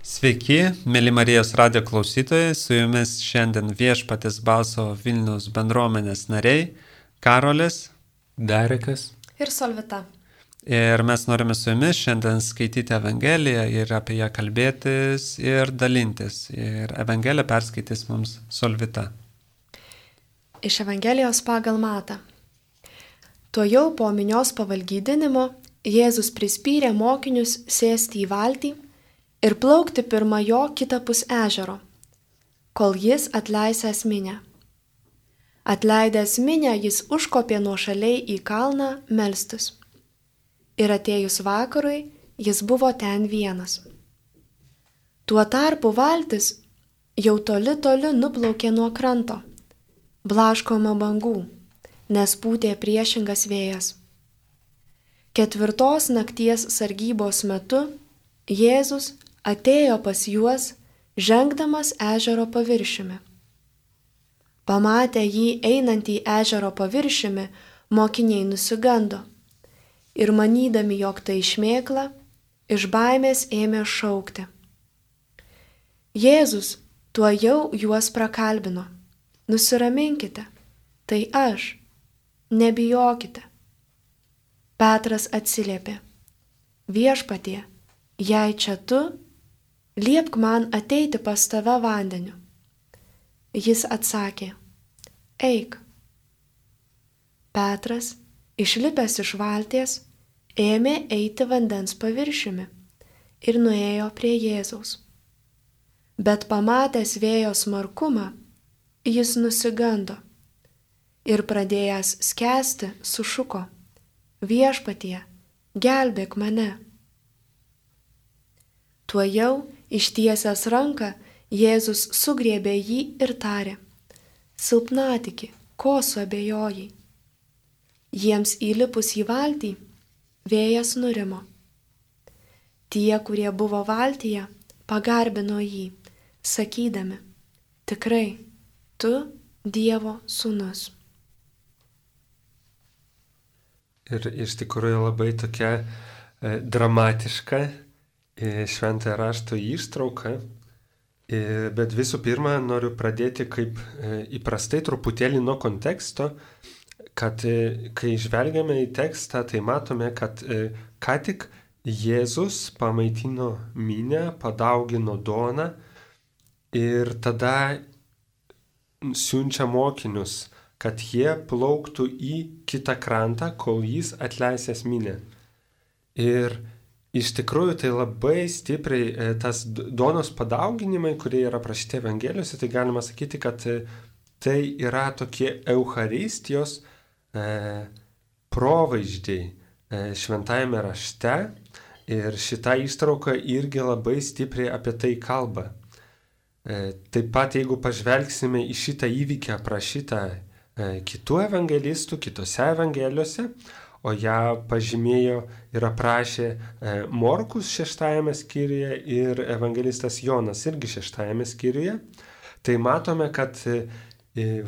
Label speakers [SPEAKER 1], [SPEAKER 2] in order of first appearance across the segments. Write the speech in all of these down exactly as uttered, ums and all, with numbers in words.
[SPEAKER 1] Sveiki, mėly Marijos radijo klausytojai, su jumis šiandien Viešpaties balso Vilniaus bendruomenės nariai Karolis,
[SPEAKER 2] Darekas
[SPEAKER 3] ir Solvita.
[SPEAKER 1] Ir mes norime su jumis šiandien skaityti Evangeliją ir apie ją kalbėtis ir dalintis. Ir Evangeliją perskaitys mums Solvita.
[SPEAKER 3] Iš Evangelijos pagal Matą. Tuojau po minios pavalgydinimo Jėzus prispyrė mokinius sėsti į valtį ir plaukti pirma jo kitapus ežero, kol jis atleisęs minią. Atleidęs minią jis užkopė nuošaliai į kalną melstis. Ir atėjus vakarui jis buvo ten vienas. Tuo tarpu valtis jau toli toli nuplaukė nuo kranto, blaškoma bangų, nes pūtė priešingas vėjas. Ketvirtos nakties sargybos metu Jėzus atėjo pas juos, žengdamas ežero paviršiumi. Pamatę jį einantį ežero paviršiumi, mokiniai nusigando ir manydami, jog tai šmėkla, iš baimės ėmė šaukti. Jėzus tuojau juos prakalbino. Nusiraminkite, tai aš, nebijokite. Petras atsiliepė. Viešpatie, jei čia tu, liepk man ateiti pas tave vandeniu. Jis atsakė, eik. Petras, išlipęs iš valties, ėmė eiti vandens paviršiumi ir nuėjo prie Jėzaus. Bet pamatęs vėjo smarkumą, jis nusigando ir pradėjęs skęsti sušuko, viešpatie, gelbėk mane. Tuojau, ištiesęs ranką, Jėzus sugriebė jį ir tarė, silpnatiki, ko suabejojai? Jiems įlipus į valtį, vėjas nurimo. Tie, kurie buvo valtyje, pagarbino jį, sakydami, tikrai, tu Dievo sūnus.
[SPEAKER 2] ir iš tikrųjų labai tokia e, dramatiška e, šventojo rašto ištrauka, e, bet visų pirma noriu pradėti kaip e, įprastai truputėlį nuo konteksto, kad e, kai žvelgiame į tekstą, tai matome, kad e, ką tik Jėzus pamaitino minią, padaugino duoną ir tada siunčia mokinius, kad jie plauktų į kitą krantą, kol jis atleisęs minią. Ir iš tikrųjų tai labai stipriai tas duonos padauginimai, kurie yra aprašyti Evangelijose, tai galima sakyti, kad tai yra tokie eucharistijos e, provaizdžiai e, šventajame rašte ir šita ištrauka irgi labai stipriai apie tai kalba. E, taip pat jeigu pažvelgsime į šitą įvykį aprašytą kitų evangelistų, kitose evangelijose, o ją pažymėjo ir aprašė Morkus šeštajame skyriuje ir evangelistas Jonas irgi šeštajame skyriuje, tai matome, kad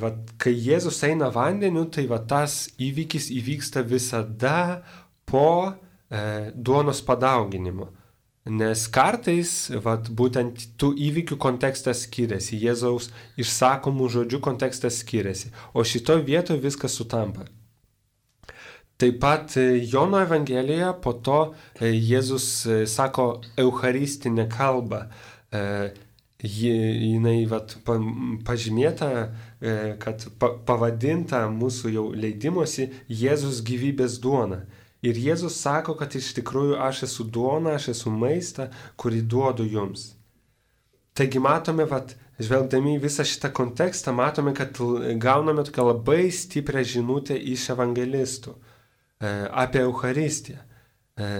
[SPEAKER 2] va, kai Jėzus eina vandeniu, tai va, tas įvykis įvyksta visada po e, duonos padauginimo. Nes kartais, vat, būtent tų įvykių kontekstas skiriasi, Jėzaus išsakomų žodžių kontekstas skiriasi, o šitoje vietoje viskas sutampa. Taip pat Jono Evangelijoje po to Jėzus sako eucharistinę kalbą. Jinai vat, pažymėta, kad pavadinta mūsų jau leidimosi Jėzus gyvybės duona. Ir Jėzus sako, kad iš tikrųjų aš esu duona, aš esu maistą, kurį duodu jums. Taigi matome, vat, žvelgdami į visą šitą kontekstą, matome, kad gauname tokią labai stiprią žinutę iš evangelistų e, apie Eucharistiją. E,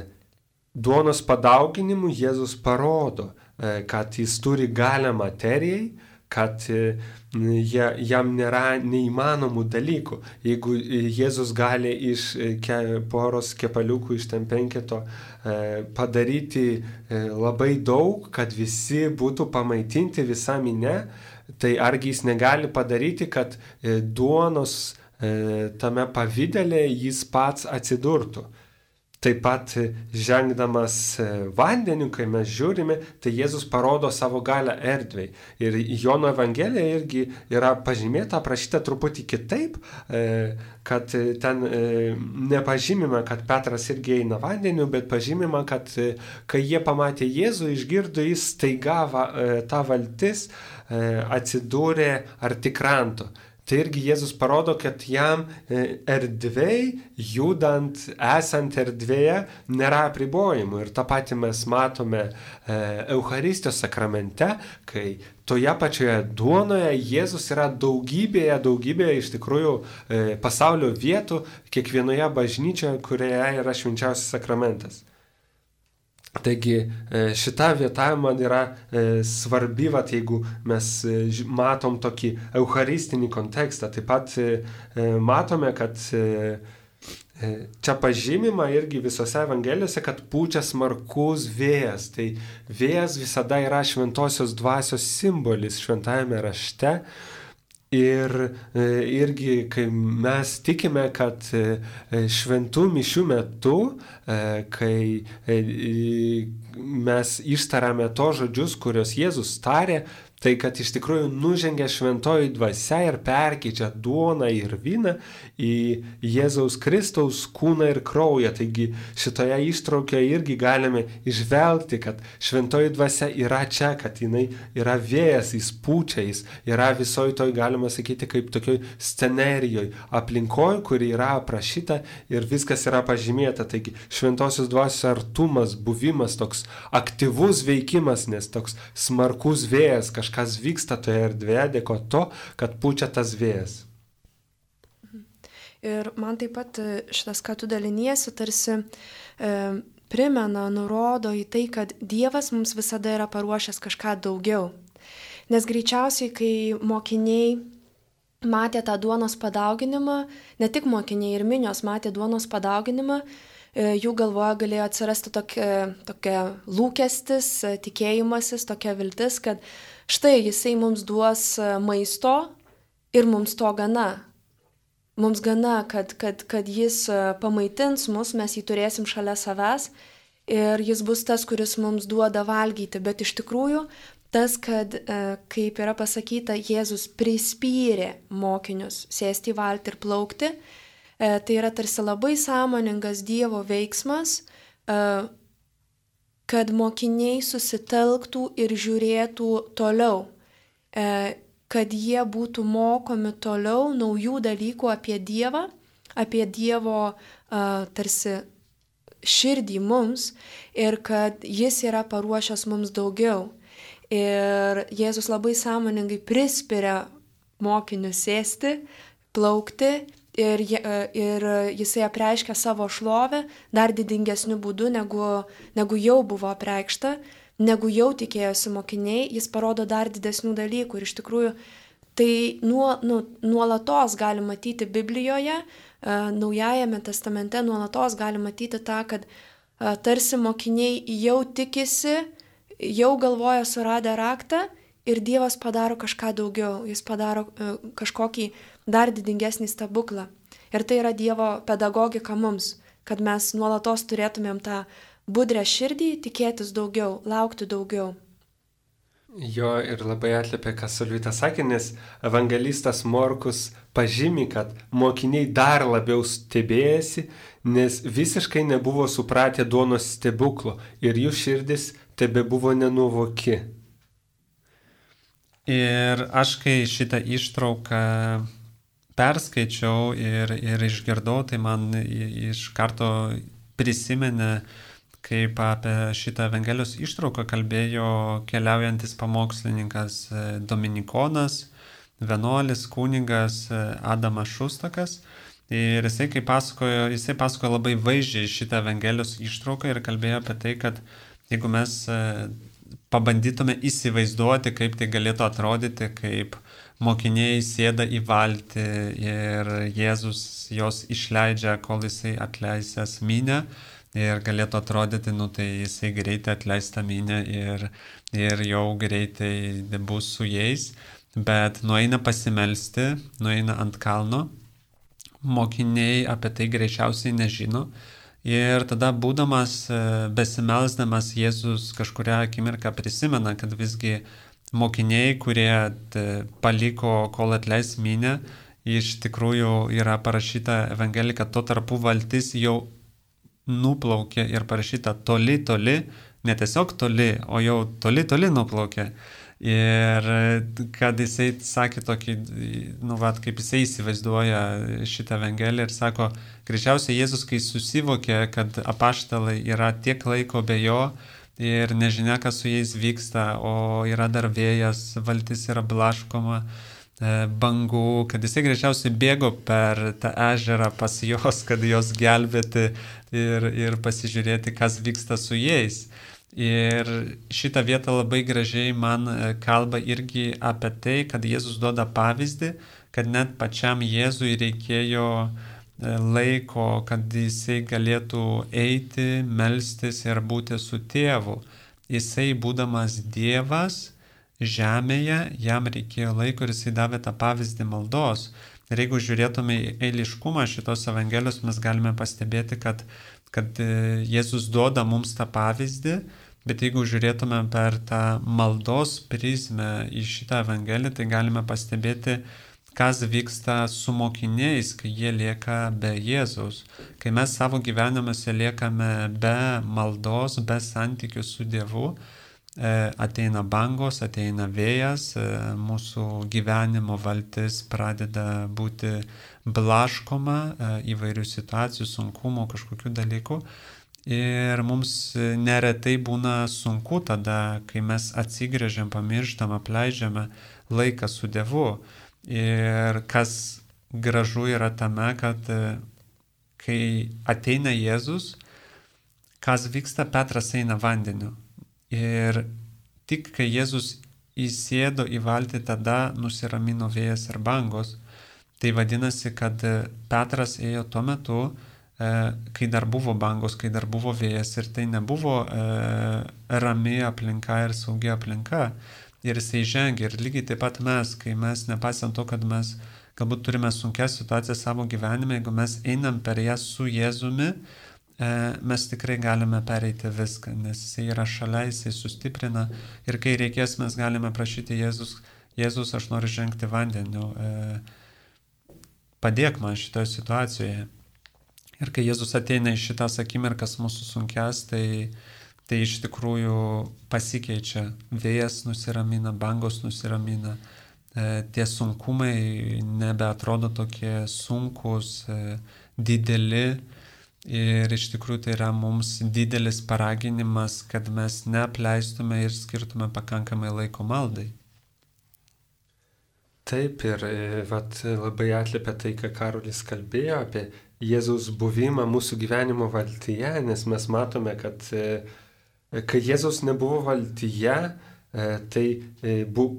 [SPEAKER 2] duonos padauginimu Jėzus parodo, e, kad jis turi galią materijai, kad e, jam nėra neįmanomų dalykų. Jeigu Jėzus gali iš ke, poros kepaliukų iš ten penketo e, padaryti e, labai daug, kad visi būtų pamaitinti visą minę, tai argi jis negali padaryti, kad e, duonos e, tame pavidale jis pats atsidurtų. Taip pat žengdamas vandeniu, kai mes žiūrime, tai Jėzus parodo savo galią erdvei. Ir Jono Evangelija irgi yra pažymėta, aprašyta truputį kitaip, kad ten nepažymima, kad Petras irgi eina vandeniu, bet pažymima, kad kai jie pamatė Jėzų, išgirdo, jis staiga ta valtis atsidūrė arti kranto. Tai irgi Jėzus parodo, kad jam erdvėj, judant, esant erdvėje, nėra apribojimų. Ir tą patį mes matome Eucharistijos sakramente, kai toje pačioje duonoje Jėzus yra daugybėje, daugybėje iš tikrųjų pasaulio vietų, kiekvienoje bažnyčioje, kurioje yra švenčiausias sakramentas. Taigi šita vieta man yra svarbi, vat, jeigu mes matom tokį eucharistinį kontekstą. Taip pat matome, kad čia pažymima irgi visose Evangelijose, kad pučia smarkus vėjas. Tai vėjas visada yra šventosios dvasios simbolis šventajame rašte. Ir irgi, kai mes tikime, kad šventų mišių metu, kai mes ištariame to žodžius, kuriuos Jėzus tarė, tai kad iš tikrųjų nužengia šventoji dvasia ir perkeičia duoną ir vyną į Jėzaus Kristaus kūną ir kraują. Taigi šitoje ištraukoje irgi galime išvelgti, kad šventoji dvasia yra čia, kad jinai yra vėjas, jis pučia, jis yra visoje toj, galima sakyti, kaip tokioj scenerijoje, aplinkoje, kuri yra aprašyta ir viskas yra pažymėta. Taigi šventosios dvasios artumas, buvimas, toks aktyvus veikimas, nes toks smarkus vėjas, kažkas kas vyksta toje erdvėje, dėko to, kad pučia tas vėjas.
[SPEAKER 3] Ir man taip pat šitas, ką tu daliniesi, tarsi e, primena, nurodo į tai, kad Dievas mums visada yra paruošęs kažką daugiau. Nes greičiausiai, kai mokiniai matė tą duonos padauginimą, ne tik mokiniai ir minios matė duonos padauginimą, jų galvoje galėjo atsirasti tokia, tokia lūkestis, tikėjimasis, tokia viltis, kad štai jisai mums duos maisto ir mums to gana. Mums gana, kad, kad, kad jis pamaitins mus, mes jį turėsim šalia savęs ir jis bus tas, kuris mums duoda valgyti. Bet iš tikrųjų tas, kad, kaip yra pasakyta, Jėzus prispyrė mokinius sėsti į valtį ir plaukti, tai yra tarsi labai sąmoningas Dievo veiksmas, kad mokiniai susitelktų ir žiūrėtų toliau, kad jie būtų mokomi toliau naujų dalykų apie Dievą, apie Dievo tarsi širdį mums ir kad jis yra paruošęs mums daugiau. Ir Jėzus labai sąmoningai prispiria mokinius sėsti, plaukti, Ir, ir jisai apreiškia savo šlovę dar didingesniu būdu, negu, negu jau buvo apreikšta, negu jau tikėjosi mokiniai, jis parodo dar didesnių dalykų. Ir iš tikrųjų tai nuo, nu, nuolatos gali matyti Biblijoje, Naujajame testamente nuolatos gali matyti tą, kad tarsi mokiniai jau tikisi, jau galvoja suradę raktą ir Dievas padaro kažką daugiau, jis padaro kažkokį dar didingesnį stebuklą. Ir tai yra Dievo pedagogika mums, kad mes nuolatos turėtumėm tą budrę širdį, tikėtis daugiau, laukti daugiau.
[SPEAKER 2] Jo, ir labai atliepia, ką Solvita sakė, nes evangelistas Morkus pažymi, kad mokiniai dar labiau stebėjasi, nes visiškai nebuvo supratę duonos stebuklo ir jų širdis tebe buvo nenuvoki.
[SPEAKER 1] Ir aš, kai šitą ištrauką perskaičiau ir, ir išgirdau, tai man iš karto prisimenė, kaip apie šitą Evangelijos ištrauką kalbėjo keliaujantis pamokslininkas Dominikonas, vienuolis, kunigas Adamas Šustakas. Ir jisai, kai pasakojo, jisai pasakojo labai vaizdžiai šitą Evangelijos ištrauką ir kalbėjo apie tai, kad jeigu mes pabandytume įsivaizduoti, kaip tai galėtų atrodyti, kaip mokiniai sėda į valtį ir Jėzus jos išleidžia, kol jisai atleisęs minią ir galėtų atrodyti, nu tai jisai greitai atleis tą minią ir, ir jau greitai bus su jais, bet nueina pasimelsti, nueina ant kalno, mokiniai apie tai greičiausiai nežino Ir tada būdamas, besimelsdamas, Jėzus kažkuria akimirką prisimena, kad visgi mokiniai, kurie paliko, kol atleis minią, iš tikrųjų yra parašyta Evangelija, kad tuo tarpu valtis jau nuplaukė ir parašyta toli, toli, ne tiesiog toli, o jau toli, toli nuplaukė. Ir kad jisai sakė tokį, nu, vat, kaip jisai įsivaizduoja šitą Evangeliją ir sako, greičiausiai Jėzus, kai susivokė, kad apaštalai yra tiek laiko be jo ir nežinia, kas su jais vyksta, o yra dar vėjas, valtis yra blaškoma, bangų, kad jisai greičiausiai bėgo per tą ežerą pas jos, kad jos gelbėti ir, ir pasižiūrėti, kas vyksta su jais. Ir šitą vietą labai gražiai man kalba irgi apie tai, kad Jėzus duoda pavyzdį, kad net pačiam Jėzui reikėjo laiko, kad jisai galėtų eiti, melstis ir būti su tėvu. Jisai, būdamas Dievas žemėje, jam reikėjo laiko ir jisai davė tą pavyzdį maldos. Ir jeigu žiūrėtume į eiliškumą šitos Evangelijos, mes galime pastebėti, kad, kad Jėzus duoda mums tą pavyzdį, bet jeigu žiūrėtume per tą maldos prizmę į šitą Evangeliją, tai galime pastebėti, kas vyksta su mokiniais, kai jie lieka be Jėzaus. Kai mes savo gyvenimuose liekame be maldos, be santykių su Dievu, ateina bangos, ateina vėjas, mūsų gyvenimo valtis pradeda būti blaškoma įvairių situacijų, sunkumų, kažkokių dalykų. Ir mums neretai būna sunku tada, kai mes atsigrėžiam, pamirštam, apleidžiame laiką su Dievu. Ir kas gražu yra tame, kad kai ateina Jėzus, kas vyksta, Petras eina vandeniu. Ir tik kai Jėzus įsėdo į valtį, tada nusiramino vėjas ir bangos. Tai vadinasi, kad Petras ėjo tuo metu, kai dar buvo bangos, kai dar buvo vėjas ir tai nebuvo rami aplinka ir saugi aplinka. Ir jisai žengia. Ir lygiai taip pat mes, kai mes, nepaisant to, kad mes galbūt turime sunkias situacijas savo gyvenime, jeigu mes einam per jas su Jėzumi, mes tikrai galime pereiti viską, nes jisai yra šalia, jisai sustiprina ir kai reikės, mes galime prašyti Jėzus, Jėzus, aš noriu žengti vandeniu, padėk man šitoje situacijoje. Ir kai Jėzus ateina į šitas akimirkas mūsų sunkias, tai, tai iš tikrųjų pasikeičia, vėjas nusiramina, bangos nusiramina, tie sunkumai nebeatrodo tokie sunkus, dideli. Ir iš tikrųjų tai yra mums didelis paraginimas, kad mes neapleistume ir skirtume pakankamai laiko maldai.
[SPEAKER 2] Taip, ir vat, labai atliepia tai, ką Karolis kalbėjo apie Jėzaus buvimą mūsų gyvenimo valtyje, nes mes matome, kad kai Jėzaus nebuvo valtyje, tai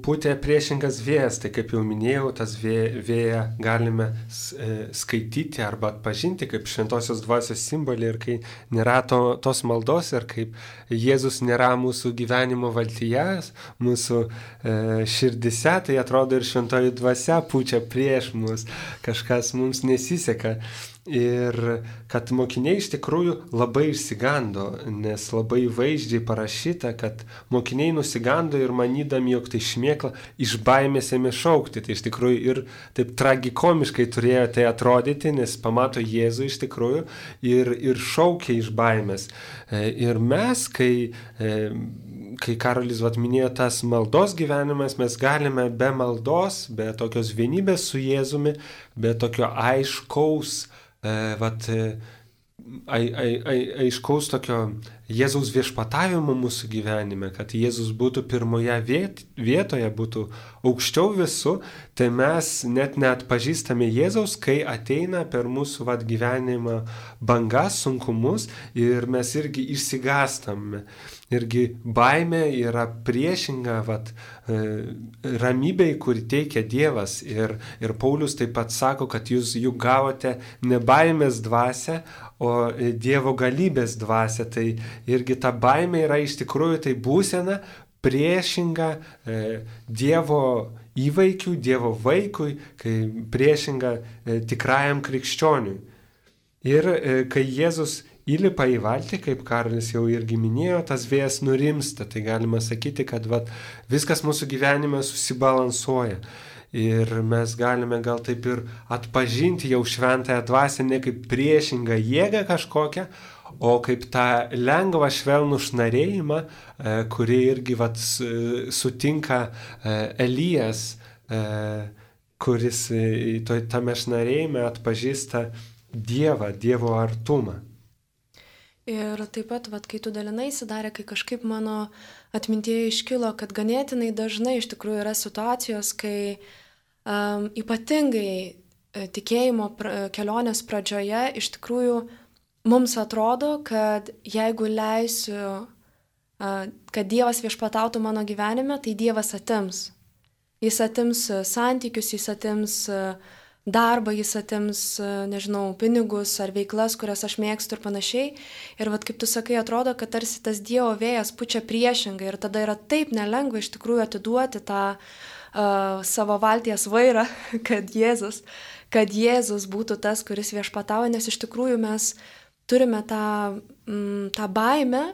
[SPEAKER 2] pūtė priešingas vėjas, tai kaip jau minėjau, tas vėją galime skaityti arba atpažinti kaip šventosios dvasios simbolį ir kai nėra to, tos maldos ir kaip Jėzus nėra mūsų gyvenimo valtyje, mūsų e, širdise, tai atrodo ir šventoji dvasia pučia prieš mus, kažkas mums nesiseka. Ir kad mokiniai iš tikrųjų labai išsigando, nes labai vaizdžiai parašyta, kad mokiniai nusigando ir manydami, jog tai šmėkla, iš baimės ėmė šaukti. Tai iš tikrųjų ir taip tragikomiškai turėjo tai atrodyti, nes pamato Jėzų iš tikrųjų ir, ir šaukia iš baimės. Ir mes, kai... Kai Karolis vat, minėjo tas maldos gyvenimas, mes galime be maldos, be tokios vienybės su Jėzumi, be tokio aiškaus, e, vat, ai, ai, ai, aiškaus tokio Jėzaus viešpatavimo mūsų gyvenime, kad Jėzus būtų pirmoje viet, vietoje, būtų aukščiau visų, tai mes net neatpažįstame Jėzaus, kai ateina per mūsų vat, gyvenimą bangas, sunkumus ir mes irgi išsigąstame. Irgi baimė yra priešinga vat, ramybei, kurį teikia Dievas. Ir, ir Paulius taip pat sako, kad jūs juk gavote ne baimės dvasią, o Dievo galybės dvasią. Tai irgi ta baimė yra iš tikrųjų tai būsena priešinga e, Dievo įvaikiui, Dievo vaikui, kai priešinga e, tikrajam krikščioniui. Ir e, kai Jėzus įlipa į valtį, kaip Karolis jau irgi minėjo, tas vėjas nurimsta. Tai galima sakyti, kad vat, viskas mūsų gyvenime susibalansuoja. Ir mes galime gal taip ir atpažinti jau šventąją dvasią ne kaip priešingą jėgą kažkokią, o kaip tą lengvą švelnų šnarėjimą, kurį irgi vat, sutinka Elijas, kuris tame šnarėjime atpažįsta Dievą, Dievo artumą.
[SPEAKER 3] Ir taip pat, vat, kai tu dalinaisi, Darė, kai kažkaip mano atmintyje iškilo, kad ganėtinai dažnai iš tikrųjų yra situacijos, kai um, ypatingai tikėjimo pra, kelionės pradžioje iš tikrųjų mums atrodo, kad jeigu leisiu, uh, kad Dievas viešpatautų mano gyvenime, tai Dievas atims. Jis atims santykius, jis atims darbą, jis atims, nežinau, pinigus ar veiklas, kurias aš mėgstu ir panašiai. Ir vat kaip tu sakai, atrodo, kad tarsi tas Dievo vėjas pučia priešingai ir tada yra taip nelengva iš tikrųjų atiduoti tą uh, savo valties vairą, kad Jėzus, kad Jėzus būtų tas, kuris viešpatauja, nes iš tikrųjų mes turime tą, mm, tą baimę,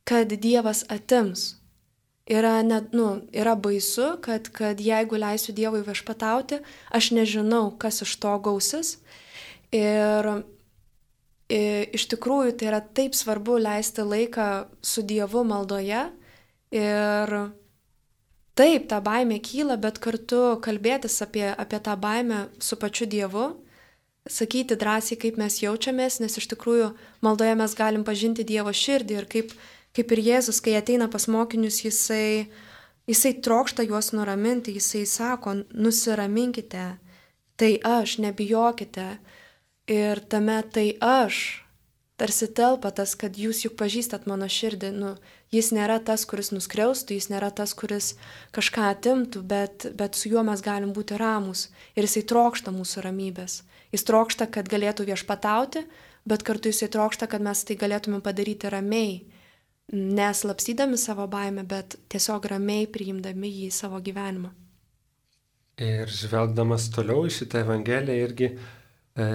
[SPEAKER 3] kad Dievas atims. Yra, net, nu, yra baisu, kad, kad jeigu leisiu Dievui viešpatauti, aš nežinau, kas iš to gausis. Ir, ir iš tikrųjų tai yra taip svarbu leisti laiką su Dievu maldoje. Ir taip, ta baimė kyla, bet kartu kalbėtis apie, apie tą baimę su pačiu Dievu, sakyti drąsiai, kaip mes jaučiamės, nes iš tikrųjų maldoje mes galim pažinti Dievo širdį ir kaip Kaip ir Jėzus, kai ateina pas mokinius, jisai, jisai trokšta juos nuraminti, jisai sako, nusiraminkite, tai aš, nebijokite. Ir tame tai aš, tarsi telpa tas, kad jūs juk pažįstat mano širdį. Nu, jis nėra tas, kuris nuskriaustų, jis nėra tas, kuris kažką atimtų, bet, bet su juo mes galim būti ramūs. Ir jisai trokšta mūsų ramybės. Jis trokšta, kad galėtų viešpatauti, bet kartu jisai trokšta, kad mes tai galėtume padaryti ramiai. Neslapstydami savo baimę, bet tiesiog ramiai priimdami jį į savo gyvenimą.
[SPEAKER 2] Ir žvelgdamas toliau į šitą Evangeliją irgi e,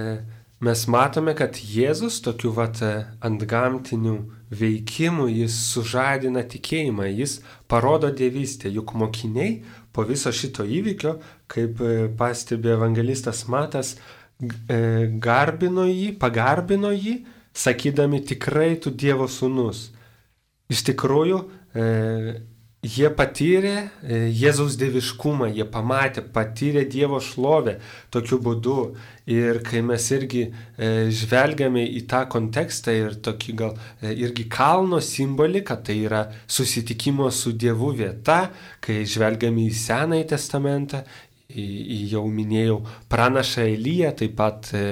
[SPEAKER 2] mes matome, kad Jėzus tokiu vat antgamtiniu veikimu jis sužadina tikėjimą, jis parodo dievystę, juk mokiniai po viso šito įvykio, kaip pastebi evangelistas Matas, e, garbino jį, pagarbino jį, sakydami tikrai tu Dievo sūnus. Iš tikrųjų, e, jie patyrė e, Jėzaus dieviškumą, jie pamatė, patyrė Dievo šlovę tokiu būdu. Ir kai mes irgi e, žvelgiame į tą kontekstą ir tokį gal e, irgi kalno simbolį, kad tai yra susitikimo su Dievu vieta, kai žvelgiame į Senąjį testamentą, į, į jau minėjau pranašą Eliją, taip pat e,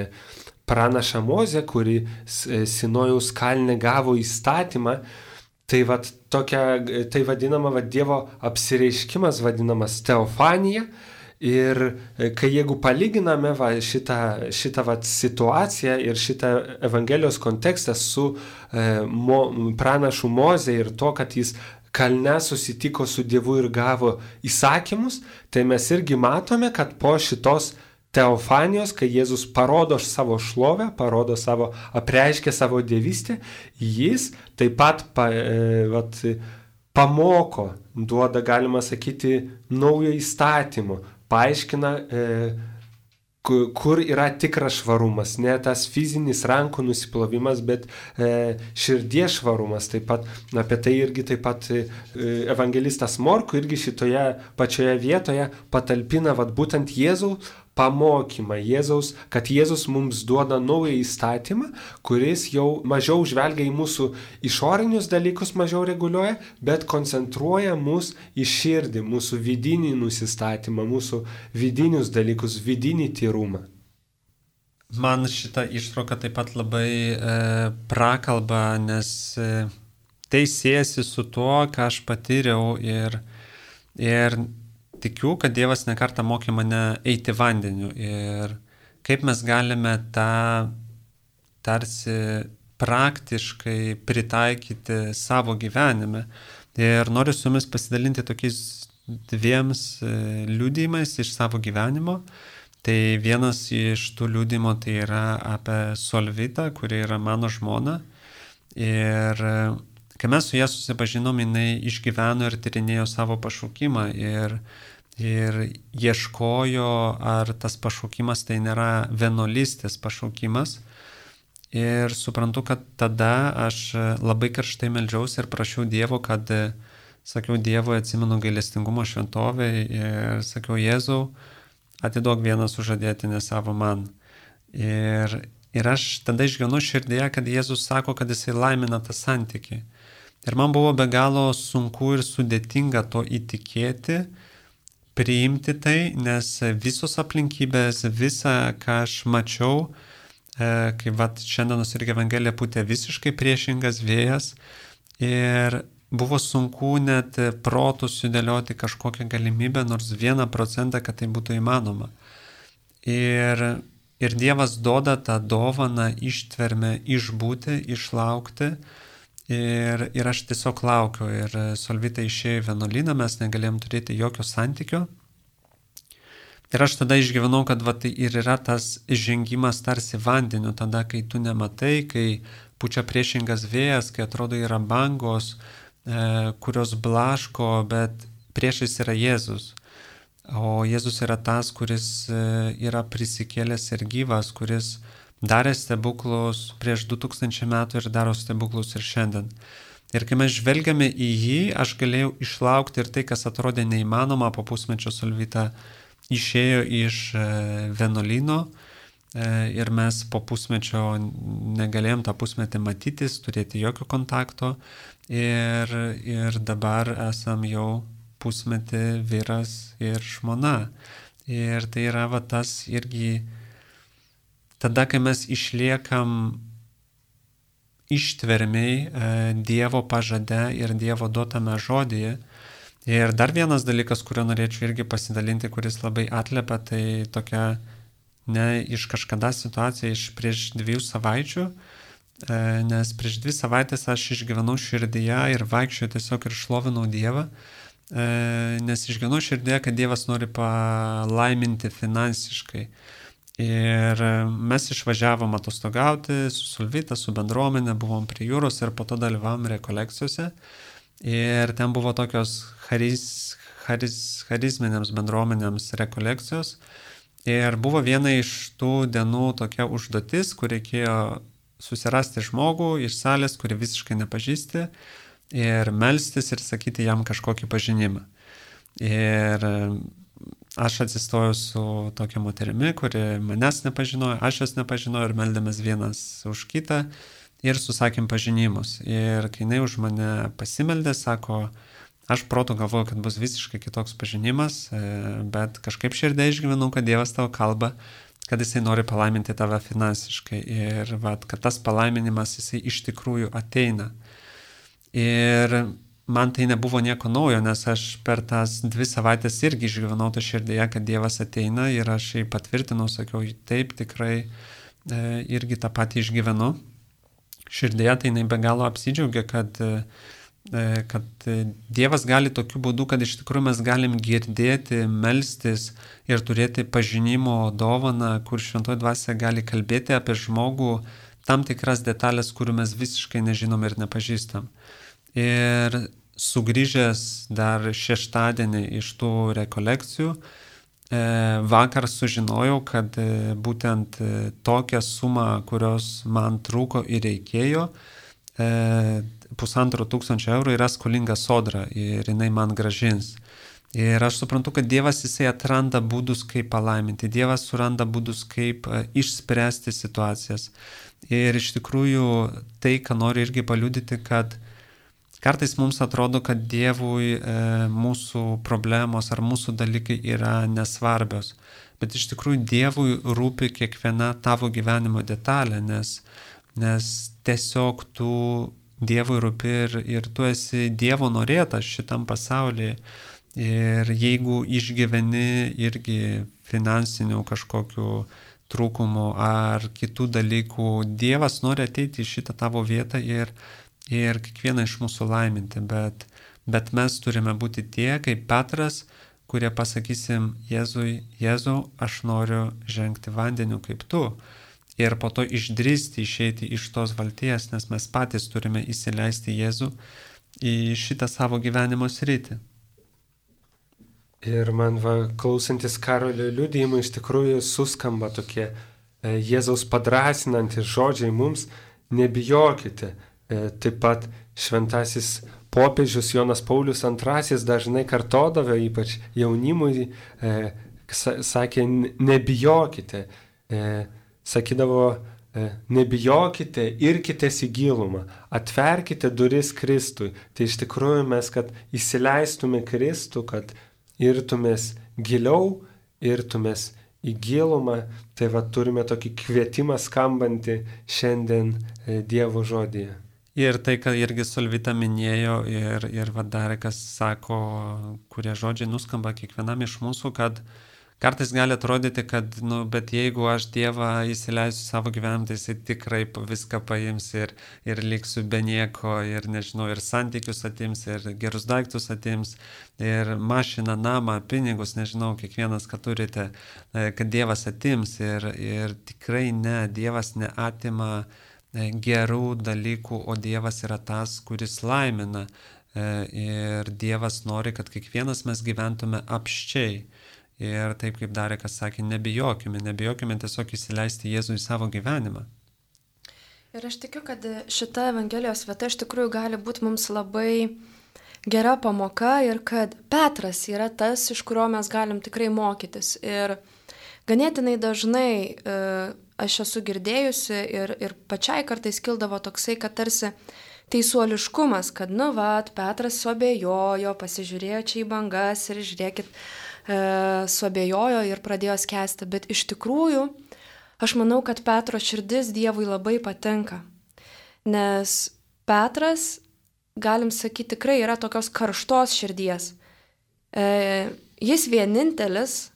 [SPEAKER 2] pranašą Mozę, kuri Sinojaus kalne gavo įstatymą. Tai, vat, tokia, tai vadinama vat, Dievo apsireiškimas, vadinamas teofanija. Ir kai jeigu palyginame va, šitą, šitą vat, situaciją ir šitą Evangelijos kontekstą su e, mo, pranašu Moze ir to, kad jis kalne susitiko su Dievu ir gavo įsakymus, tai mes irgi matome, kad po šitos teofanijos, kai Jėzus parodo savo šlovę, parodo savo, apreiškia savo dievystę, jis taip pat pa, e, vat, pamoko, duoda, galima sakyti, naujo įstatymo, paaiškina, e, kur yra tikras švarumas, ne tas fizinis rankų nusiplovimas, bet e, širdies švarumas. Taip pat apie tai irgi taip pat e, evangelistas Morku irgi šitoje pačioje vietoje patalpina vat, būtent Jėzaus pamokymą, Jėzaus, kad Jėzus mums duoda naują įstatymą, kuris jau mažiau žvelgia į mūsų išorinius dalykus, mažiau reguliuoja, bet koncentruoja mus į širdį, mūsų vidinį nusistatymą, mūsų vidinius dalykus, vidinį tyrumą.
[SPEAKER 1] Man šita ištrauka taip pat labai e, prakalba, nes e, tai siejasi su tuo, ką aš patyriau ir, ir tikiu, kad Dievas nekartą mokė mane eiti vandeniu ir kaip mes galime tą tarsi praktiškai pritaikyti savo gyvenime. Ir noriu su jumis pasidalinti tokiais dviems liudijimais iš savo gyvenimo. Tai vienas iš tų liudijimų tai yra apie Solvitą, kuri yra mano žmona. Ir kai mes su ja susipažinom, jinai išgyveno ir tyrinėjo savo pašaukimą ir, ir ieškojo, ar tas pašaukimas tai nėra vienuolystės pašaukimas. Ir suprantu, kad tada aš labai karštai meldžiausi ir prašiau Dievo, kad, sakiau Dievui, atsimenu gailestingumo šventovę ir sakiau, Jėzau, atiduok vieną sužadėtinę savo man. Ir, ir aš tada išgyvenu širdėje, kad Jėzus sako, kad jisai laimina tą santykį. Ir man buvo be galo sunku ir sudėtinga to įtikėti, priimti tai, nes visos aplinkybės, visa, ką aš mačiau, kai vat šiandienos irgi Evangelija pūtė visiškai priešingas vėjas ir buvo sunku net protų sudėlioti kažkokią galimybę, nors vieną procentą, kad tai būtų įmanoma. Ir, ir Dievas duoda tą dovaną, ištvermę išbūti, išlaukti ir, ir aš tiesiog laukiu. Ir Solvita išėjo į vienuolyną, mes negalėjom turėti jokio santykio. Ir aš tada išgyvenau, kad va, tai ir yra tas žengimas tarsi vandeniu, tada, kai tu nematai, kai pučia priešingas vėjas, kai atrodo yra bangos, e, kurios blaško, bet priešais yra Jėzus. O Jėzus yra tas, kuris e, yra prisikėlęs ir gyvas, kuris darė stebuklus prieš du tūkstančiai metų ir daro stebuklus ir šiandien. Ir kai mes žvelgiame į jį, aš galėjau išlaukti ir tai, kas atrodė neįmanoma, po pusmečio Solvita išėjo iš vienuolyno ir mes po pusmečio negalėjom tą pusmetį matytis, turėti jokio kontakto ir, ir dabar esam jau pusmetį vyras ir žmona. Ir tai yra va tas irgi tada, kai mes išliekam ištvermiai Dievo pažade ir Dievo duotame žodyje. Ir dar vienas dalykas, kurio norėčiau irgi pasidalinti, kuris labai atliepia, tai tokia ne iš kažkada situacija iš prieš dviejų savaičių, nes prieš dvi savaitės aš išgyvenau širdyje ir vaikščiau tiesiog ir šlovinau Dievą, nes išgyvenau širdyje, kad Dievas nori palaiminti finansiškai. Ir mes išvažiavom atostogauti su Solvita, su bendruomenė, buvom prie jūros ir po to dalyvavom rekolekcijose. Ir ten buvo tokios charis, charis, charizminėms bendruomenėms rekolekcijos. Ir buvo viena iš tų dienų tokia užduotis, kur reikėjo susirasti žmogų iš salės, kurį visiškai nepažįsti, ir melstis ir sakyti jam kažkokį pažinimą. Ir aš atsistojau su tokia moterimi, kuri manęs nepažinojo, aš jos nepažinojau ir meldėmės vienas už kitą. Ir susakėm pažinimus. Ir kai jinai už mane pasimeldė, sako, aš protu galvoju, kad bus visiškai kitoks pažinimas, bet kažkaip širdė išgyvenau, kad Dievas tavo kalba, kad jisai nori palaiminti tave finansiškai. Ir vat, kad tas palaiminimas jisai iš tikrųjų ateina. Ir man tai nebuvo nieko naujo, nes aš per tas dvi savaitės irgi išgyvenau tą širdėje, kad Dievas ateina ir aš jį patvirtinau, sakiau, taip tikrai irgi tą patį išgyvenu. Širdėje tai jinai be galo apsidžiaugia, kad, kad Dievas gali tokiu būdu, kad iš tikrųjų mes galim girdėti, melstis ir turėti pažinimo dovaną, kur šventoji dvasia gali kalbėti apie žmogų tam tikras detalės, kurių mes visiškai nežinom ir nepažįstam. Ir sugrįžęs dar šeštadienį iš tų rekolekcijų, vakar sužinojau, kad būtent tokią sumą, kurios man trūko ir reikėjo, pusantro tūkstančio eurų yra skolinga Sodra ir jinai man gražins. Ir aš suprantu, kad Dievas jisai atranda būdus, kaip palaiminti. Dievas suranda būdus, kaip išspręsti situacijas. Ir iš tikrųjų tai, ką noriu irgi paliudyti, kad kartais mums atrodo, kad Dievui e, mūsų problemos ar mūsų dalykai yra nesvarbios, bet iš tikrųjų Dievui rūpi kiekviena tavo gyvenimo detalė, nes, nes tiesiog tu Dievui rūpi ir, ir tu esi Dievo norėtas šitam pasaulyje. Ir jeigu išgyveni irgi finansinių kažkokių trūkumų ar kitų dalykų, Dievas nori ateiti į šitą tavo vietą ir ir kiekvieną iš mūsų laiminti, bet, bet mes turime būti tie, kaip Petras, kurie pasakysim Jėzui, Jėzau, aš noriu žengti vandeniu kaip tu. ir po to išdrįsti išeiti iš tos valties, nes mes patys turime įsileisti Jėzų į šitą savo gyvenimo sritį.
[SPEAKER 2] Ir man va, klausantis Karolio liudijimų, iš tikrųjų suskamba tokie e, Jėzaus padrasinantys žodžiai mums, nebijokite. E, taip pat šventasis popiežius Jonas Paulius antrasis dažnai kartodavo, ypač jaunimui, e, sakė, nebijokite. E, sakydavo, e, nebijokite, irkitės į gilumą, atverkite duris Kristui. Tai iš tikrųjų mes, kad įsileistume Kristų, kad irtumės giliau, irtumės į gilumą, tai va turime tokį kvietimą skambantį šiandien e, Dievo žodyje.
[SPEAKER 1] Ir tai, ką irgi Solvita minėjo ir, ir va dar kas sako, kurie žodžiai nuskamba kiekvienam iš mūsų, kad kartais gali atrodyti, kad, nu, bet jeigu aš Dievą įsileisiu savo gyvenimą, tai jisai tikrai viską paims ir, ir liksiu be nieko, ir nežinau, ir santykius atims, ir gerus daiktus atims, ir mašiną, namą, pinigus, nežinau, kiekvienas, ką turite, kad Dievas atims. Ir, ir tikrai ne, Dievas neatima gerų dalykų, o Dievas yra tas, kuris laimina. Ir Dievas nori, kad kiekvienas mes gyventume apščiai. Ir taip kaip Darekas sakė, nebijokime, nebijokime tiesiog įsileisti Jėzų į savo gyvenimą.
[SPEAKER 3] Ir aš tikiu, kad šita Evangelijos vieta iš tikrųjų gali būti mums labai gera pamoka ir kad Petras yra tas, iš kurio mes galim tikrai mokytis. Ir ganėtinai dažnai e, aš esu girdėjusi ir, ir pačiai kartais kildavo toksai, kad tarsi teisuoliškumas, kad nu vat, Petras suabejojo, pasižiūrėjo čia į bangas ir žiūrėkit, e, suabejojo ir pradėjo skęsti. Bet iš tikrųjų, aš manau, kad Petro širdis Dievui labai patinka. Nes Petras, galim sakyti, tikrai yra tokios karštos širdies. E, jis vienintelis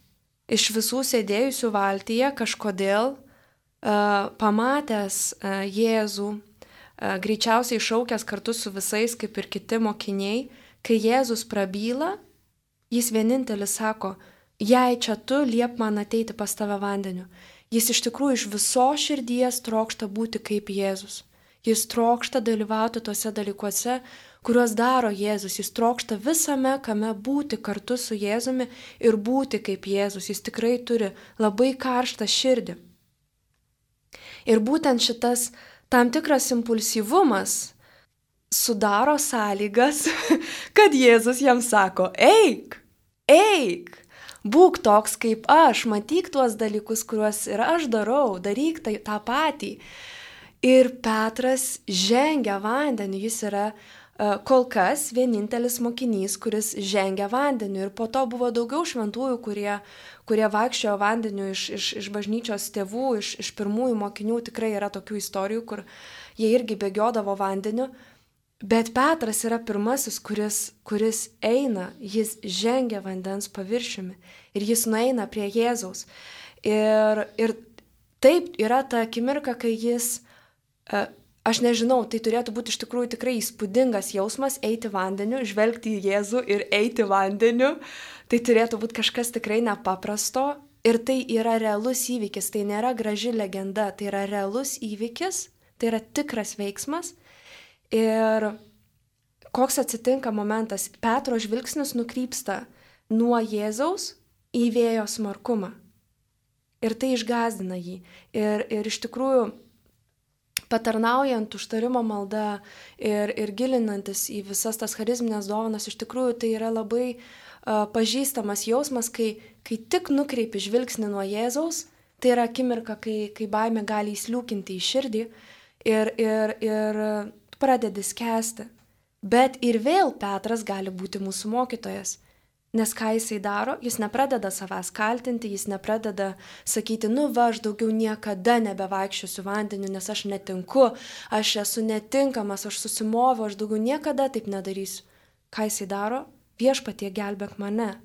[SPEAKER 3] iš visų sėdėjusių valtyje kažkodėl e, pamatęs e, Jėzų, greičiausiai šaukęs kartu su visais, kaip ir kiti mokiniai, kai Jėzus prabyla, jis vienintelis sako, jei čia tu, liep man ateiti pas tave vandeniu. Jis iš tikrųjų iš visos širdies trokšta būti kaip Jėzus. Jis trokšta dalyvauti tuose dalykuose, kuriuos daro Jėzus. Jis trokšta visame, kame būti kartu su Jėzumi ir būti kaip Jėzus. Jis tikrai turi labai karštą širdį. Ir būtent šitas tam tikras impulsyvumas sudaro sąlygas, kad Jėzus jam sako, eik, eik, būk toks kaip aš, matyk tuos dalykus, kuriuos ir aš darau, daryk tai, tą patį. Ir Petras žengia vandeniu, jis yra uh, kol kas vienintelis mokinys, kuris žengia vandeniu. Ir po to buvo daugiau šventųjų, kurie, kurie vaikščiojo vandeniu iš, iš, iš bažnyčios tėvų, iš, iš pirmųjų mokinių. Tikrai yra tokių istorijų, kur jie irgi bėgiodavo vandeniu. Bet Petras yra pirmasis, kuris, kuris eina, jis žengia vandens paviršiumi ir jis nueina prie Jėzaus. Ir, ir taip yra ta akimirka, kai jis, aš nežinau, tai turėtų būti iš tikrųjų tikrai įspūdingas jausmas eiti vandeniu, žvelgti į Jėzų ir eiti vandeniu. Tai turėtų būti kažkas tikrai nepaprasto ir tai yra realus įvykis, tai nėra graži legenda, tai yra realus įvykis, tai yra tikras veiksmas. Ir koks atsitinka momentas, Petro žvilgsnis nukrypsta nuo Jėzaus į vėjo smarkumą. Ir tai išgąsdina jį. Ir, ir iš tikrųjų, patarnaujant užtarimo malda ir, ir gilinantis į visas tas charizminės dovanas, iš tikrųjų tai yra labai uh, pažįstamas jausmas, kai, kai tik nukreipi žvilgsnį nuo Jėzaus, tai yra akimirka, kai, kai baimė gali įsliūkinti į širdį ir, ir, ir pradedi skęsti. Bet ir vėl Petras gali būti mūsų mokytojas. Nes ką jisai daro, jis nepradeda savęs kaltinti, jis nepradeda sakyti, nu va, aš daugiau niekada nebevaikščiosiu vandeniu, nes aš netinku, aš esu netinkamas, aš susimoviau, aš daugiau niekada taip nedarysiu. Ką jisai daro? Viešpatie gelbėk mane.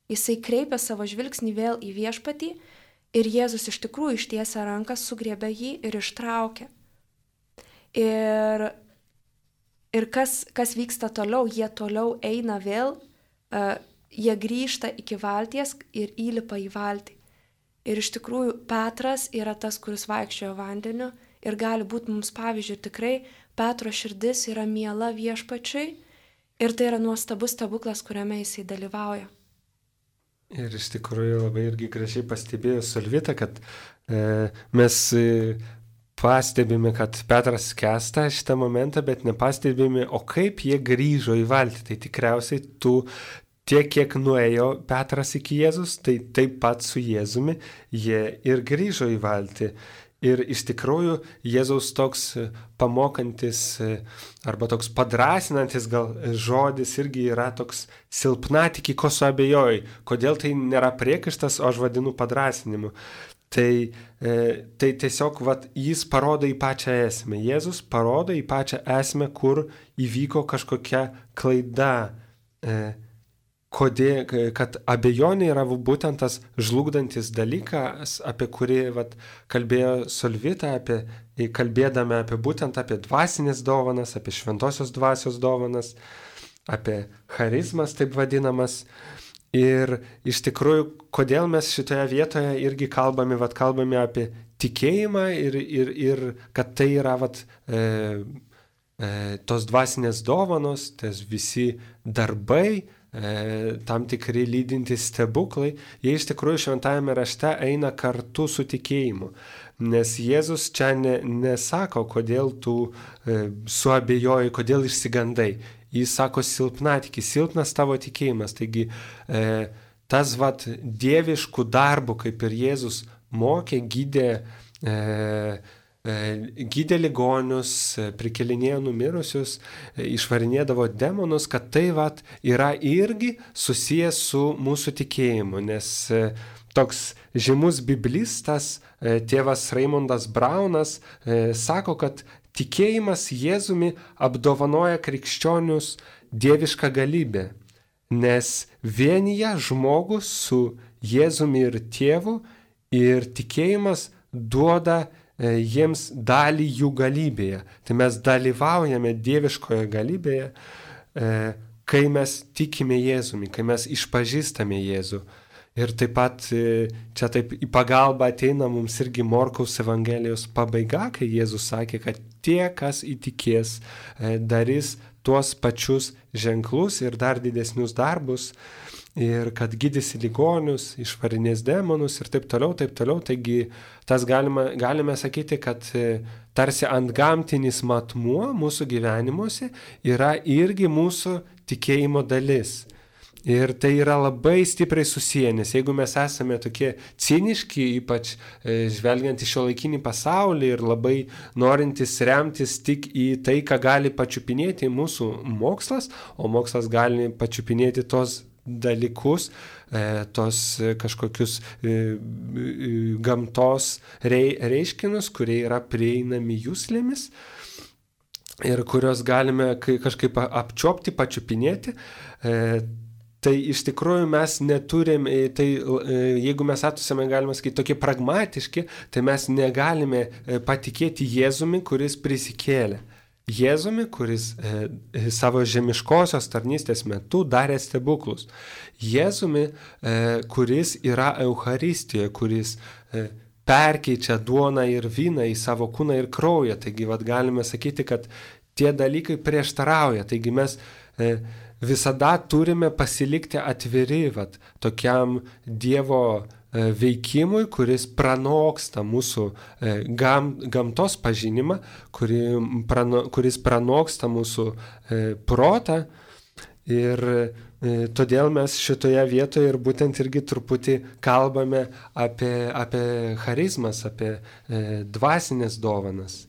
[SPEAKER 3] Jisai kreipia savo žvilgsnį vėl į viešpatį ir Jėzus iš tikrųjų ištiesia ranką, sugriebia jį ir ištraukia. Ir Ir kas, kas vyksta toliau, jie toliau eina vėl, uh, jie grįžta iki valties ir įlipa į valtį. Ir iš tikrųjų Petras yra tas, kuris vaikščiojo vandeniu ir gali būti mums pavyzdžiui. Ir tikrai Petro širdis yra miela Viešpačiui ir tai yra nuostabus stebuklas, kuriame jisai dalyvauja.
[SPEAKER 2] Ir iš tikrųjų labai irgi gražiai pastebėjo Solvita, kad e, mes e, pastebime, kad Petras skęsta šitą momentą, bet nepastebime, o kaip jie grįžo į valtį. Tai tikriausiai tu tiek, kiek nuėjo Petras iki Jėzus, tai taip pat su Jėzumi jie ir grįžo į valtį. Ir iš tikrųjų Jėzaus toks pamokantis arba toks padrasinantis gal žodis irgi yra toks silpnatikį, ko suabejoji. Kodėl tai nėra priekaištas, o aš vadinu padrasinimu. Tai, e, tai tiesiog vat, jis parodo į pačią esmę. Jėzus parodo į pačią esmę, kur įvyko kažkokia klaida. E, Kodėl, kad abejonė yra būtent tas žlugdantis dalykas, apie kurį vat, kalbėjo Solvita, apie, kalbėdami apie būtent apie dvasinės dovanas, apie šventosios dvasios dovanas, apie charizmas taip vadinamas. Ir iš tikrųjų, kodėl mes šitoje vietoje irgi kalbame, vat, kalbame apie tikėjimą ir, ir, ir kad tai yra vat, e, e, tos dvasinės dovanos, tas visi darbai, tam tikri lydintys stebuklai, jie iš tikrųjų šventajame rašte eina kartu su tikėjimu. Nes Jėzus čia ne, nesako, kodėl tu e, suabejoji, kodėl išsigandai. Jis sako silpnatikis, silpnas tavo tikėjimas. Taigi e, tas vat dieviškų darbų, kaip ir Jėzus mokė, gydė e, gydė ligonius, prikelinėjo numirusius, išvarinėdavo demonus, kad tai vat yra irgi susijęs su mūsų tikėjimu, nes toks žymus biblistas, tėvas Raimondas Braunas, sako, kad tikėjimas Jėzumi apdovanoja krikščionius dievišką galybę, nes vienyje žmogus su Jėzumi ir tėvu ir tikėjimas duoda jiems dalį jų galybėje. Tai mes dalyvaujame dieviškoje galybėje, kai mes tikime Jėzumi, kai mes išpažįstame Jėzų. Ir taip pat čia taip į pagalbą ateina mums irgi Morkaus Evangelijos pabaiga, kai Jėzus sakė, kad tie, kas įtikės, darys tuos pačius ženklus ir dar didesnius darbus, ir kad gydysi ligonius, išvarinės demonus ir taip toliau, taip toliau. Taigi tas galima, galime sakyti, kad tarsi antgamtinis matmuo mūsų gyvenimuose yra irgi mūsų tikėjimo dalis. Ir tai yra labai stipriai susiję, nes jeigu mes esame tokie ciniški, ypač žvelgiant į šiuolaikinį pasaulį ir labai norintis remtis tik į tai, ką gali pačiupinėti mūsų mokslas, o mokslas gali pačiupinėti tos dalykus, tos kažkokius gamtos reiškinius, kurie yra prieinami juslėmis ir kurios galime kažkaip apčiopti, pačiupinėti. Tai iš tikrųjų mes neturim, tai jeigu mes esame, galima sakyti, tokie pragmatiški, tai mes negalime patikėti Jėzumi, kuris prisikėlė. Jėzumi, kuris e, savo žemiškosios tarnystės metu darė stebuklus. Jėzumi, e, kuris yra Eucharistijoje, kuris e, perkeičia duoną ir vyną į savo kūną ir kraują. Taigi vat, galime sakyti, kad tie dalykai prieštarauja. Taigi mes e, visada turime pasilikti atviri vat, tokiam Dievo veikimui, kuris pranoksta mūsų gam, gamtos pažinimą, kuri, prano, kuris pranoksta mūsų e, protą. Ir e, todėl mes šitoje vietoje ir būtent irgi truputį kalbame apie, apie charizmas, apie e, dvasinės dovanas.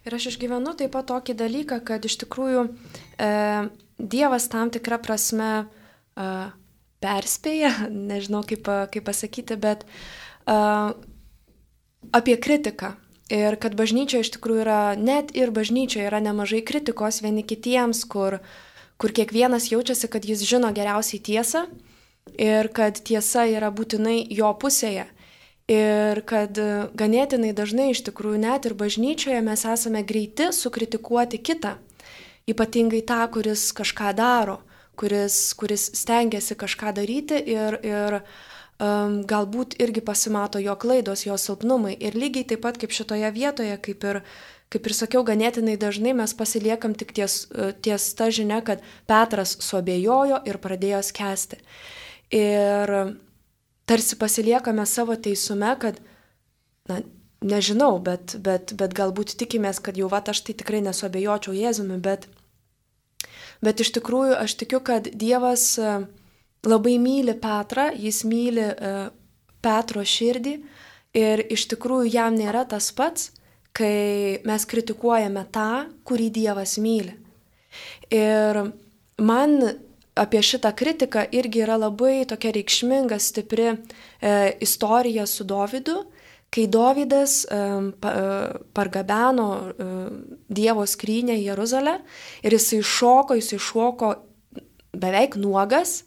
[SPEAKER 3] Ir aš išgyvenu taip pat tokį dalyką, kad iš tikrųjų e, Dievas tam tikrą prasme e, perspėja, nežinau kaip, kaip pasakyti, bet uh, apie kritiką. Ir kad bažnyčioje iš tikrųjų yra, net ir bažnyčioje yra nemažai kritikos vieni kitiems, kur, kur kiekvienas jaučiasi, kad jis žino geriausiai tiesą ir kad tiesa yra būtinai jo pusėje. Ir kad ganėtinai dažnai iš tikrųjų net ir bažnyčioje mes esame greiti sukritikuoti kitą, ypatingai tą, kuris kažką daro. Kuris, kuris stengiasi kažką daryti ir, ir um, galbūt irgi pasimato jo klaidos, jo silpnumai. Ir lygiai taip pat kaip šitoje vietoje, kaip ir, kaip ir sakiau, ganėtinai dažnai mes pasiliekam tik ties, ties ta žinia, kad Petras suabejojo ir pradėjo skęsti. Ir tarsi pasiliekame savo teisume, kad, na, nežinau, bet, bet, bet galbūt tikimės, kad jau vat aš tai tikrai nesuabejočiau Jėzumi, bet, bet iš tikrųjų aš tikiu, kad Dievas labai myli Petrą, jis myli Petro širdį ir iš tikrųjų jam nėra tas pats, kai mes kritikuojame tą, kurį Dievas myli. Ir man apie šitą kritiką irgi yra labai tokia reikšminga, stipri e, istorija su Dovydu, kai Dovydas e, pa, e, pargabeno e, Dievo skrynę į Jeruzalę ir jisai šoko, jisai šoko beveik nuogas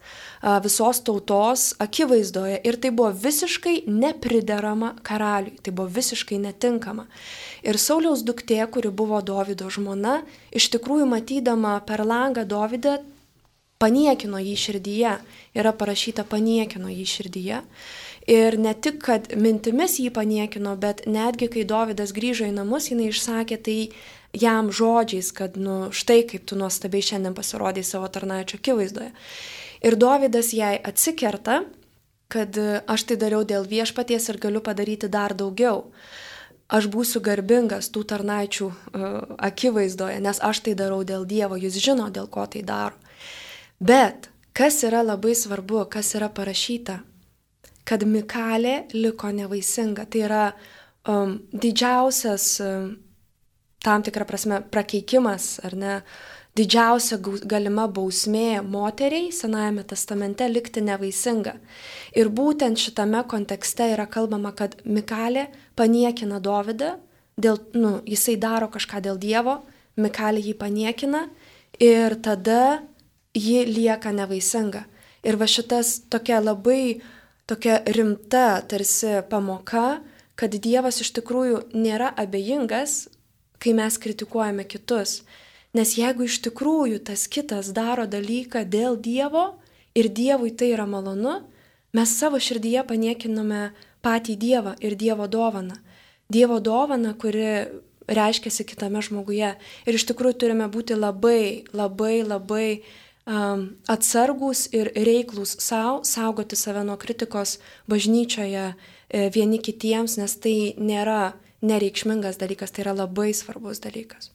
[SPEAKER 3] visos tautos akivaizdoje ir tai buvo visiškai nepriderama karaliui, tai buvo visiškai netinkama. Ir Sauliaus duktė, kuri buvo Dovydo žmona, iš tikrųjų matydama per langą Dovydą, paniekino jį širdyje, yra parašyta paniekino jį širdyje. Ir ne tik, kad mintimis jį paniekino, bet netgi, kai Dovydas grįžo į namus, jinai išsakė tai jam žodžiais, kad, nu, štai kaip tu nuostabiai šiandien pasirodai savo tarnaičio akivaizdoje. Ir Dovydas jai atsikerta, kad aš tai dariau dėl viešpaties ir galiu padaryti dar daugiau. Aš būsiu garbingas tų tarnaičių uh, akivaizdoje, nes aš tai darau dėl Dievo, jis žino, dėl ko tai daro. Bet kas yra labai svarbu, kas yra parašyta, kad Mikalė liko nevaisinga. Tai yra um, didžiausias um, tam tikrą prasme prakeikimas, ar ne, didžiausia galima bausmė moteriai Senajame testamente likti nevaisinga. Ir būtent šitame kontekste yra kalbama, kad Mikalė paniekina Dovydą, dėl, nu, jisai daro kažką dėl Dievo, Mikalė jį paniekina ir tada ji lieka nevaisinga. Ir va šitas tokia labai tokia rimta tarsi pamoka, kad Dievas iš tikrųjų nėra abejingas, kai mes kritikuojame kitus. Nes jeigu iš tikrųjų tas kitas daro dalyką dėl Dievo ir Dievui tai yra malonu, mes savo širdyje paniekiname patį Dievą ir Dievo dovaną. Dievo dovaną, kuri reiškiasi kitame žmoguje. Ir iš tikrųjų turime būti labai, labai, labai um, atsargūs ir reiklūs savo, saugoti save nuo kritikos bažnyčioje e, vieni kitiems, nes tai nėra nereikšmingas dalykas, tai yra labai svarbus dalykas.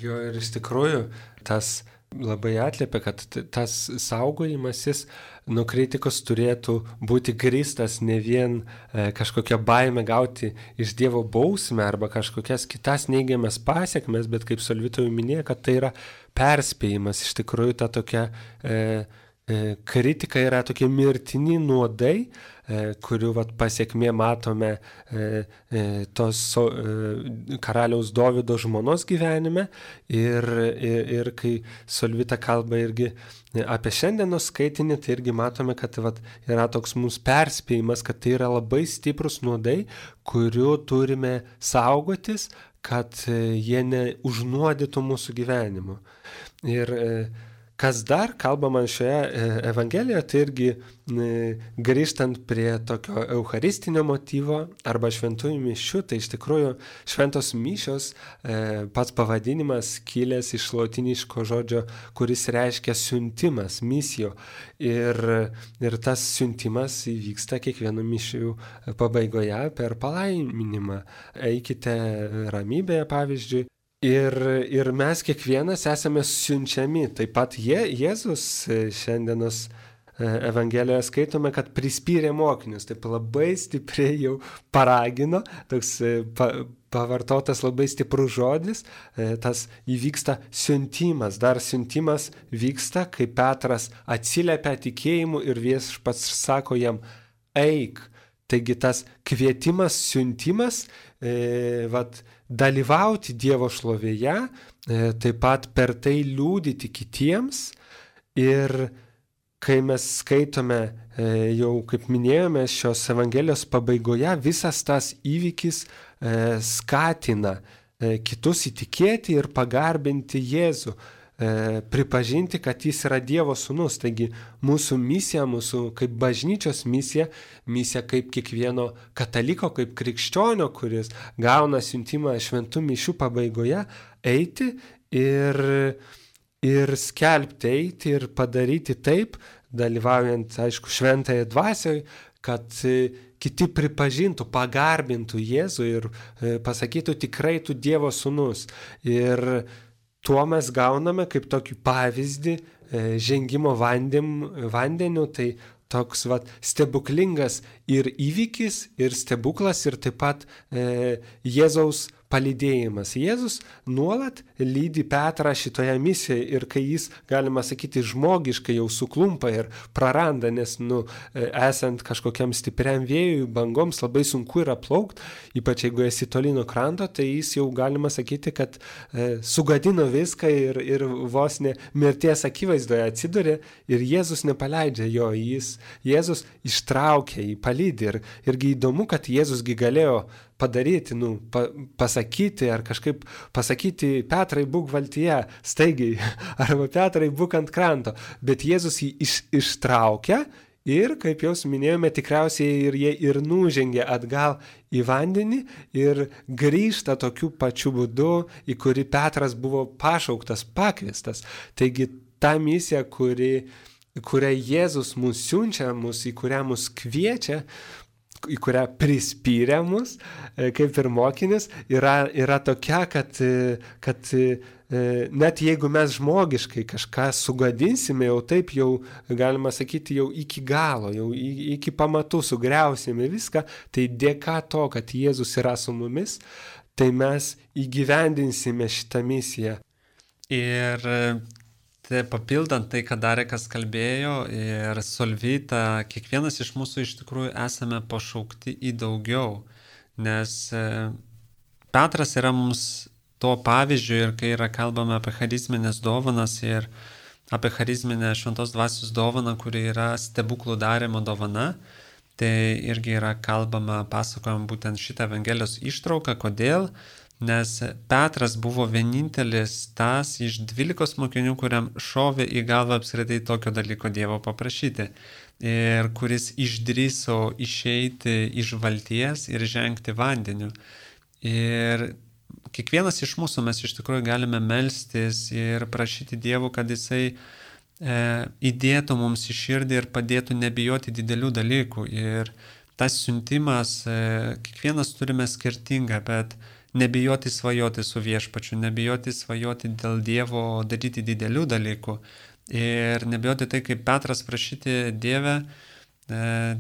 [SPEAKER 2] Jo, ir iš tikrųjų tas labai atliepia, kad tas saugojimasis nuo kritikos turėtų būti grįstas ne vien e, kažkokią baimę gauti iš Dievo bausmę arba kažkokias kitas neigiamas pasiekmes, bet kaip Solvita jau minėjo, kad tai yra perspėjimas. Iš tikrųjų ta tokia e, e, kritika yra tokie mirtini nuodai, kurių vat, pasiekmė matome e, e, tos so, e, karaliaus Dovydo žmonos gyvenime ir, ir, ir kai Solvita kalba irgi apie šiandienos skaitinį, tai irgi matome, kad vat, yra toks mūsų perspėjimas, kad tai yra labai stiprus nuodai, kurių turime saugotis, kad jie neužnuodytų mūsų gyvenimo. Ir e, kas dar kalbama šioje Evangelijoje, tai irgi grįžtant prie tokio eucharistinio motyvo arba šventųjų mišių, tai iš tikrųjų šventos mišios pats pavadinimas kilęs iš lotyniško žodžio, kuris reiškia siuntimas, misijo. Ir, ir tas siuntimas įvyksta kiekvieno mišių pabaigoje per palaiminimą. Eikite ramybėje, pavyzdžiui. Ir, ir mes kiekvienas esame siunčiami. Taip pat Je, Jėzus šiandienos Evangelijoje skaitome, kad prispyrė mokinius. Taip labai stipriai jau paragino, toks pa, pavartotas labai stiprus žodis, tas įvyksta siuntimas. Dar siuntimas vyksta, kai Petras atsiliepia tikėjimu ir viešpats sako jam, eik. Taigi tas kvietimas, siuntimas, e, vat, dalyvauti Dievo šlovėje, e, taip pat per tai liudyti kitiems. Ir kai mes skaitome, e, jau kaip minėjome, šios Evangelijos pabaigoje, visas tas įvykis e, skatina e, kitus įtikėti ir pagarbinti Jėzų. e, pripažinti, kad jis yra Dievo sūnus. Taigi mūsų misija, mūsų kaip bažnyčios misija, misija kaip kiekvieno kataliko, kaip krikščionio, kuris gauna siuntimą šventų mišių pabaigoje, eiti ir, ir skelbti, eiti ir padaryti taip, dalyvaujant, aišku, šventajai dvasioj, kad kiti pripažintų, pagarbintų Jėzų ir pasakytų, tikrai tu Dievo sūnus. Ir tuo mes gauname kaip tokį pavyzdį žengimo vandim, vandeniu, tai toks vat, stebuklingas ir įvykis, ir stebuklas, ir taip pat e, Jėzaus palydėjimas. Jėzus nuolat lydi Petrą šitoje misijoje ir kai jis, galima sakyti, žmogiškai jau suklumpa ir praranda, nes nu, esant kažkokiam stipriam vėjui, bangoms labai sunku yra plaukti, ypač jeigu esi toli nuo kranto, tai jis jau, galima sakyti, kad e, sugadino viską ir, ir vos ne mirties akivaizdoje atsidūrė ir Jėzus nepaleidžia jo, jis, Jėzus ištraukia jį, palydi ir, irgi įdomu, kad Jėzusgi galėjo padaryti, nu, pa, pasakyti ar kažkaip pasakyti, Petrai, būk valtyje, staigiai, arba Petrai, būk ant kranto, bet Jėzus jį iš, ištraukia ir, kaip jau minėjome, tikriausiai ir jie ir nužengė atgal į vandenį ir grįžta tokiu pačiu būdu, į kurį Petras buvo pašauktas, pakviestas. Taigi ta misija, kuri, kurią Jėzus mus siunčia, mus, į kurią mus kviečia, į kurią prispyrė mus, kaip ir mokinis, yra, yra tokia, kad, kad net jeigu mes žmogiškai kažką sugadinsime, jau taip jau, galima sakyti, jau iki galo, jau iki pamatų sugriausime viską, tai dėka to, kad Jėzus yra su mumis, tai mes įgyvendinsime šitą misiją.
[SPEAKER 1] Ir tai papildant tai, ką Darekas kalbėjo ir Solvita, kiekvienas iš mūsų iš tikrųjų esame pašaukti į daugiau, nes Petras yra mums to pavyzdžių ir kai yra kalbama apie charizminės dovanas ir apie charizminę šventos dvasios dovaną, kuri yra stebuklų darymo dovana, tai irgi yra kalbama, pasakojama būtent šitą Evangelijos ištrauką. Kodėl? Nes Petras buvo vienintelis tas iš dvylikos mokinių, kuriam šovė į galvą apskritai tokio dalyko Dievo paprašyti ir kuris išdrįso išeiti iš valties ir žengti vandeniu. Ir kiekvienas iš mūsų mes iš tikrųjų galime melstis ir prašyti Dievo, kad Jisai e, įdėtų mums į širdį ir padėtų nebijoti didelių dalykų. Ir tas siuntimas, e, kiekvienas turime skirtingą, bet nebijoti svajoti su viešpačiu, nebijoti svajoti dėl Dievo daryti didelių dalykų ir nebijoti tai, kaip Petras prašyti Dievę, e,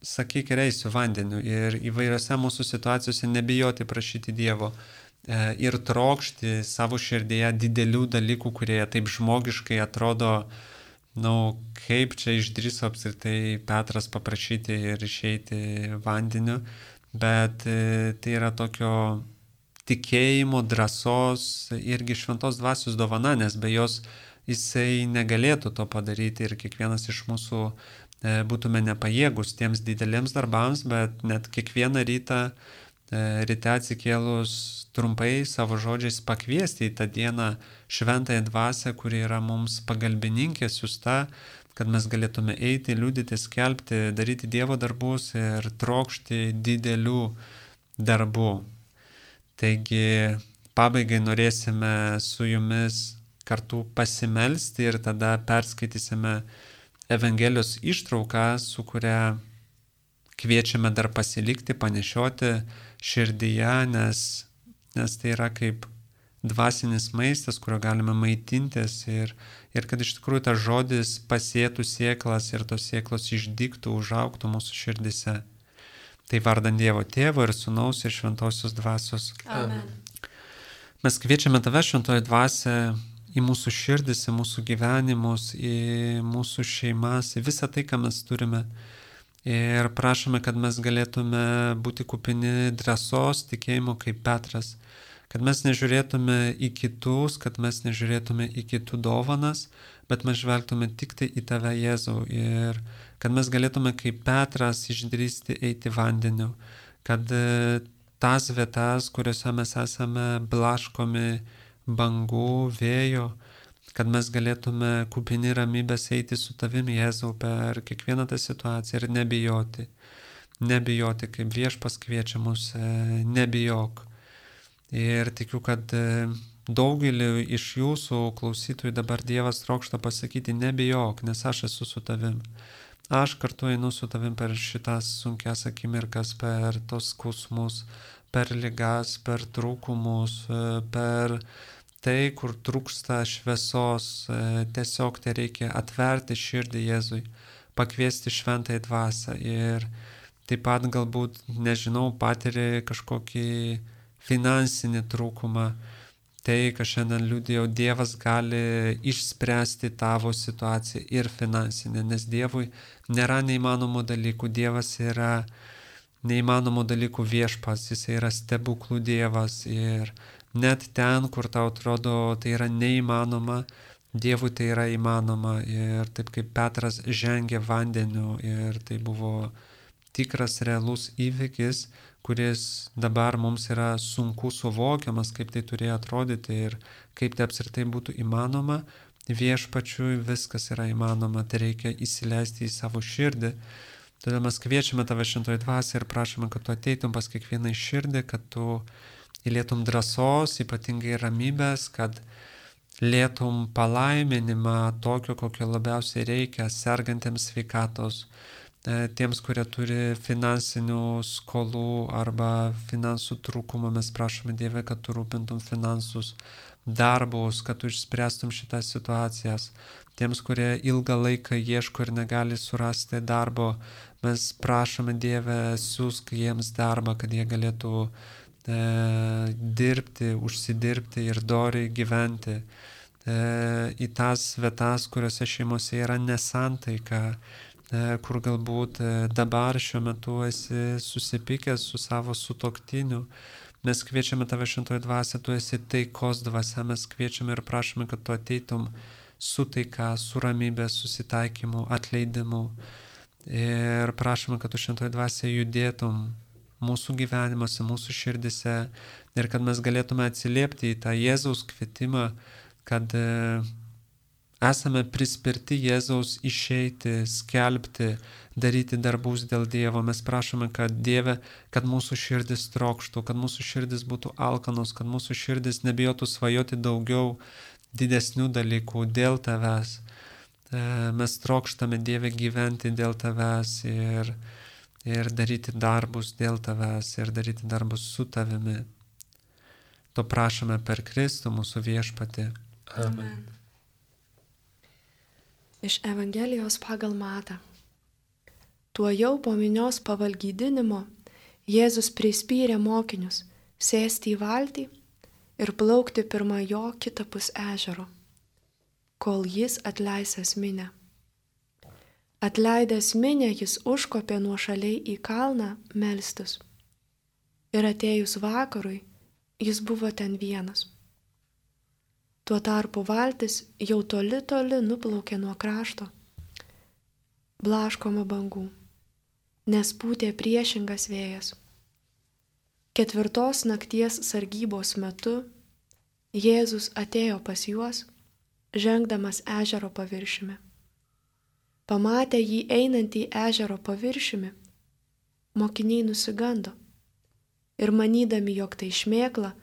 [SPEAKER 1] sakyk, eisiu vandeniu ir įvairiose mūsų situacijose nebijoti prašyti Dievo e, ir trokšti savo širdyje didelių dalykų, kurie taip žmogiškai atrodo, nu, kaip čia išdrįso apskritai Petras paprašyti ir išeiti vandeniu, bet e, tai yra tokio tikėjimo, drąsos irgi šventos dvasios dovana, nes be jos jisai negalėtų to padaryti ir kiekvienas iš mūsų e, būtume nepajėgus tiems dideliems darbams, bet net kiekvieną rytą, e, ryte atsikėlus trumpai savo žodžiais pakviesti į tą dieną šventąją dvasią, kuri yra mums pagalbininkė siusta, kad mes galėtume eiti, liudyti, skelbti, daryti Dievo darbus ir trokšti didelių darbų. Taigi, pabaigai norėsime su jumis kartu pasimelsti ir tada perskaitysime Evangelijos ištrauką, su kuria kviečiame dar pasilikti, panešioti širdyje, nes, nes tai yra kaip dvasinis maistas, kurio galime maitintis ir, ir kad iš tikrųjų tas žodis pasėtų sėklas ir tos sėklos išdygtų, užaugtų mūsų širdise. Tai vardant Dievo Tėvo ir Sūnaus ir Šventosios Dvasios.
[SPEAKER 3] Amen.
[SPEAKER 1] Mes kviečiame Tave, Šventoji Dvasia, į mūsų širdis, į mūsų gyvenimus, į mūsų šeimas, į visą tai, ką mes turime. Ir prašome, kad mes galėtume būti kupini drąsos, tikėjimo kaip Petras. Kad mes nežiūrėtume į kitus, kad mes nežiūrėtume į kitų dovanas, bet mes žvelgtume tik tai į Tave, Jėzau. Ir kad mes galėtume kaip Petras išdrįsti eiti vandeniu, kad tas vietas, kuriuose mes esame blaškomi bangų, vėjo, kad mes galėtume kupini ramybės eiti su tavimi, Jėzau, per kiekvieną tą situaciją ir nebijoti. Nebijoti, kaip Viešpats kviečia mus, nebijok. Ir tikiu, kad daugelį iš jūsų klausytojų dabar Dievas trokšta pasakyti, nebijok, nes aš esu su tavim. Aš kartu einu su tavim per šitas sunkias akimirkas, per tos skausmus, per ligas, per trūkumus, per tai, kur trūksta šviesos. Tiesiog tai reikia atverti širdį Jėzui, pakviesti šventąją dvasią ir taip pat galbūt, nežinau, patiri kažkokį finansinį trūkumą. Tai, ką šiandien liudijau, Dievas gali išspręsti tavo situaciją ir finansinę, nes Dievui nėra neįmanomų dalykų. Dievas yra neįmanomų dalykų viešpats, jis yra stebuklų Dievas ir net ten, kur tau atrodo tai yra neįmanoma, Dievui tai yra įmanoma. Ir taip kaip Petras žengė vandeniu ir tai buvo tikras realus įvykis, kuris dabar mums yra sunku suvokiamas, kaip tai turėjo atrodyti ir kaip tai apskritai būtų įmanoma, Viešpačiui viskas yra įmanoma, tai reikia įsileisti į savo širdį. Todėl mes kviečiame tave šventoji dvasia ir prašome, kad tu ateitum pas kiekvieną į širdį, kad tu įlietum drąsos, ypatingai ramybės, kad lėtum palaiminimą tokio, kokio labiausiai reikia, sergantiems sveikatos, tiems, kurie turi finansinių skolų arba finansų trūkumą. Mes prašome Dieve, kad tu rūpintum finansus, darbus, kad tu išspręstum šitas situacijas. Tiems, kurie ilgą laiką ieško ir negali surasti darbo, mes prašome Dieve, siūsk jiems darbą, kad jie galėtų e, dirbti, užsidirbti ir doriai gyventi. E, į tas vietas, kuriuose šeimose yra nesantaika, kur galbūt dabar šiuo metu esi susipykęs su savo sutuoktiniu. Mes kviečiame tave šventoji dvasia, tu esi taikos dvasia, mes kviečiame ir prašome, kad tu ateitum su taika, su ramybė, susitaikymu, atleidimu. Ir prašome, kad tu šventoji dvasia judėtum mūsų gyvenimuose, mūsų širdise ir kad mes galėtume atsiliepti į tą Jėzaus kvietimą, kad esame prispirti Jėzaus išeiti, skelbti, daryti darbus dėl Dievo. Mes prašome, kad Dieve, kad mūsų širdis trokštų, kad mūsų širdis būtų alkanos, kad mūsų širdis nebijotų svajoti daugiau didesnių dalykų dėl tavęs. Mes trokštame, Dieve, gyventi dėl tavęs ir, ir daryti darbus dėl tavęs ir daryti darbus su tavimi. To prašome per Kristų mūsų viešpatį.
[SPEAKER 2] Amen.
[SPEAKER 3] Iš Evangelijos pagal Matą. Tuojau po minios pavalgydinimo Jėzus prispyrė mokinius sėsti į valtį ir plaukti pirma jo kitapus ežero, kol jis atleisęs minę. Atleidęs minę jis užkopė nuošaliai į kalną melstis. Ir atėjus vakarui jis buvo ten vienas. Tuo tarpu valtis jau toli toli nuplaukė nuo krašto, blaškoma bangų, nes pūtė priešingas vėjas. Ketvirtos nakties sargybos metu Jėzus atėjo pas juos, žengdamas ežero paviršiumi. Pamatę jį einantį ežero paviršiumi, mokiniai nusigando ir manydami, jog tai šmėkla,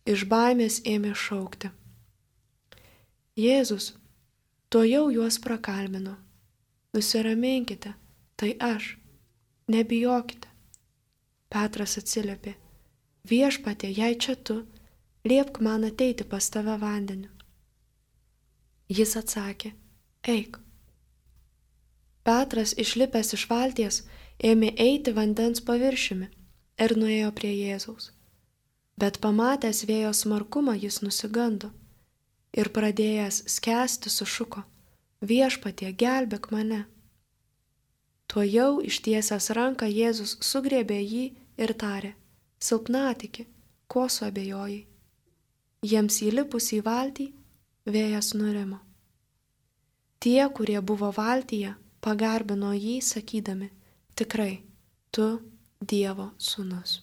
[SPEAKER 3] iš baimės ėmė šaukti. Jėzus tuojau juos prakalbino. Nusiraminkite, tai aš, nebijokite. Petras atsiliepė. Viešpatie, jei čia tu, liepk man ateiti pas tave vandeniu. Jis atsakė, eik. Petras, išlipęs iš valties, ėmė eiti vandens paviršiumi ir nuėjo prie Jėzaus. Bet pamatęs vėjo smarkumą jis nusigando. Ir pradėjęs skęsti sušuko, viešpatie, gelbėk mane. Tuojau ištiesęs ranką Jėzus sugriebė jį ir tarė, silpnatiki, ko suabejojai. Jiems įlipus į valtį, vėjas nurimo. Tie, kurie buvo valtyje, pagarbino jį, sakydami, tikrai, tu Dievo sūnus.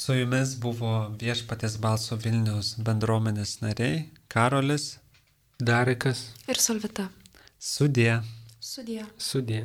[SPEAKER 1] Su jumis buvo Viešpaties balso Vilniaus bendruomenės nariai Karolis
[SPEAKER 2] Darikas
[SPEAKER 3] Ir Solvita.
[SPEAKER 1] Sudie.
[SPEAKER 3] Sudie.
[SPEAKER 2] Sudie.